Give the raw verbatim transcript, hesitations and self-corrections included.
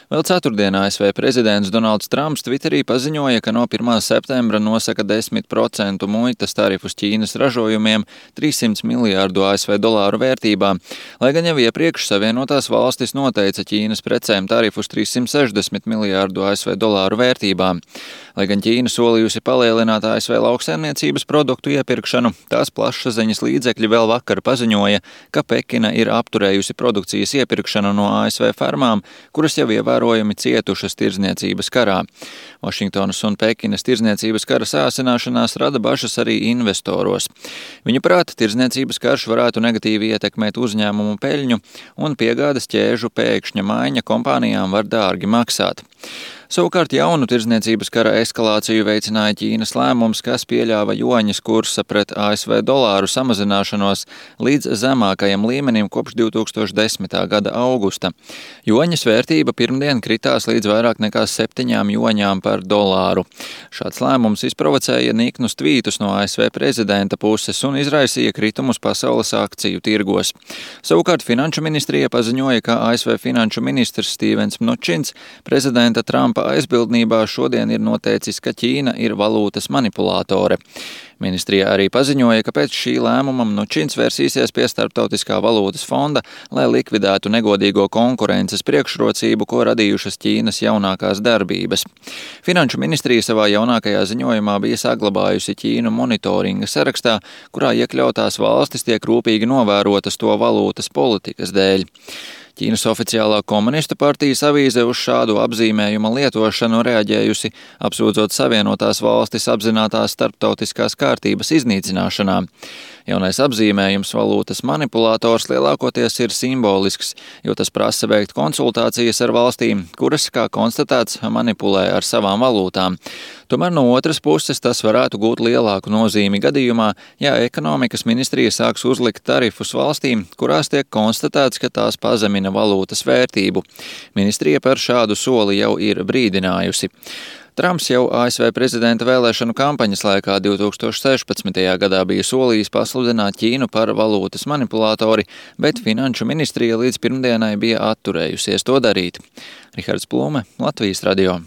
Vēl ceturtdien A S V prezidents Donalds Trumps Twitterī paziņoja, ka no pirmā septembra nosaka desmit procentu muitas tarifus Ķīnas ražojumiem trīssimtu miljārdu A S V dolāru vērtībā, lai gan jau iepriekš Savienotās valstis noteica Ķīnas precēm tarifus trīssimt sešdesmit miljārdu A S V dolāru vērtībā. Lai gan Ķīna solījusi palielināt A S V lauksaimniecības produktu iepirkšanu, tās plašsaziņas līdzekļi vēl vakar paziņoja, ka Pekina ir apturējusi produkcijas iepirkšanu no A S V fermām, kuras jau ievērojami cietušas tirdzniecības karā. Vašingtonas un Pekinas tirdzniecības kara sāsināšanās rada bažas arī investoros. Viņu prāt, tirdzniecības karš varētu negatīvi ietekmēt uzņēmumu peļņu, un piegādes ķēžu pēkšņa maiņa kompānijām var dārgi maksāt. Savukārt jaunu tirdzniecības kara eskalāciju veicināja Ķīnas lēmums, kas pieļāva juaņas kursa pret A S V dolāru samazināšanos līdz zemākajam līmenim kopš divi tūkstoši desmitā gada augusta. Juaņas vērtība pirmdien kritās līdz vairāk nekā septiņām juaņām par dolāru. Šāds lēmums izprovocēja niknus tvītus no A S V prezidenta puses un izraisīja kritumus pasaules akciju tirgos. Savukārt Finanšu ministrija paziņoja, ka A S V finanšu ministrs Stīvens Mnučins prezidenta Trumpa aizbildnībā šodien ir noteicis, ka Ķīna ir valūtas manipulātore. Ministrija arī paziņoja, ka pēc šī lēmuma Mnučins vērsīsies pie Starptautiskā valūtas fonda, lai likvidētu negodīgo konkurences priekšrocību, ko radījušas Ķīnas jaunākās darbības. Finanšu ministrija savā jaunākajā ziņojumā bija saglabājusi Ķīnu monitoringa sarakstā, kurā iekļautās valstis tiek rūpīgi novērotas to valūtas politikas dēļ. Ķīnas oficiālā komunistu partijas avīze uz šādu apzīmējuma lietošanu reaģējusi, apsūdzot Savienotās valstis apzinātās starptautiskās kārtības iznīcināšanā. Jaunais apzīmējums valūtas manipulātors lielākoties ir simbolisks, jo tas prasa veikt konsultācijas ar valstīm, kuras, kā konstatēts, manipulē ar savām valūtām. Tomēr no otras puses tas varētu gūt lielāku nozīmi gadījumā, ja ekonomikas ministrija sāks uzlikt tarifus valstīm, kurās tiek konstatēts, ka tās pazemina valūtas vērtību. Ministrija par šādu soli jau ir brīdinājusi. Trumps jau A S V prezidenta vēlēšanu kampaņas laikā divi tūkstoši sešpadsmitajā gadā bija solījis pasludināt Ķīnu par valūtas manipulātori, bet Finanšu ministrija līdz pirmdienai bija atturējusies to darīt. Rihards Plume, Latvijas radio.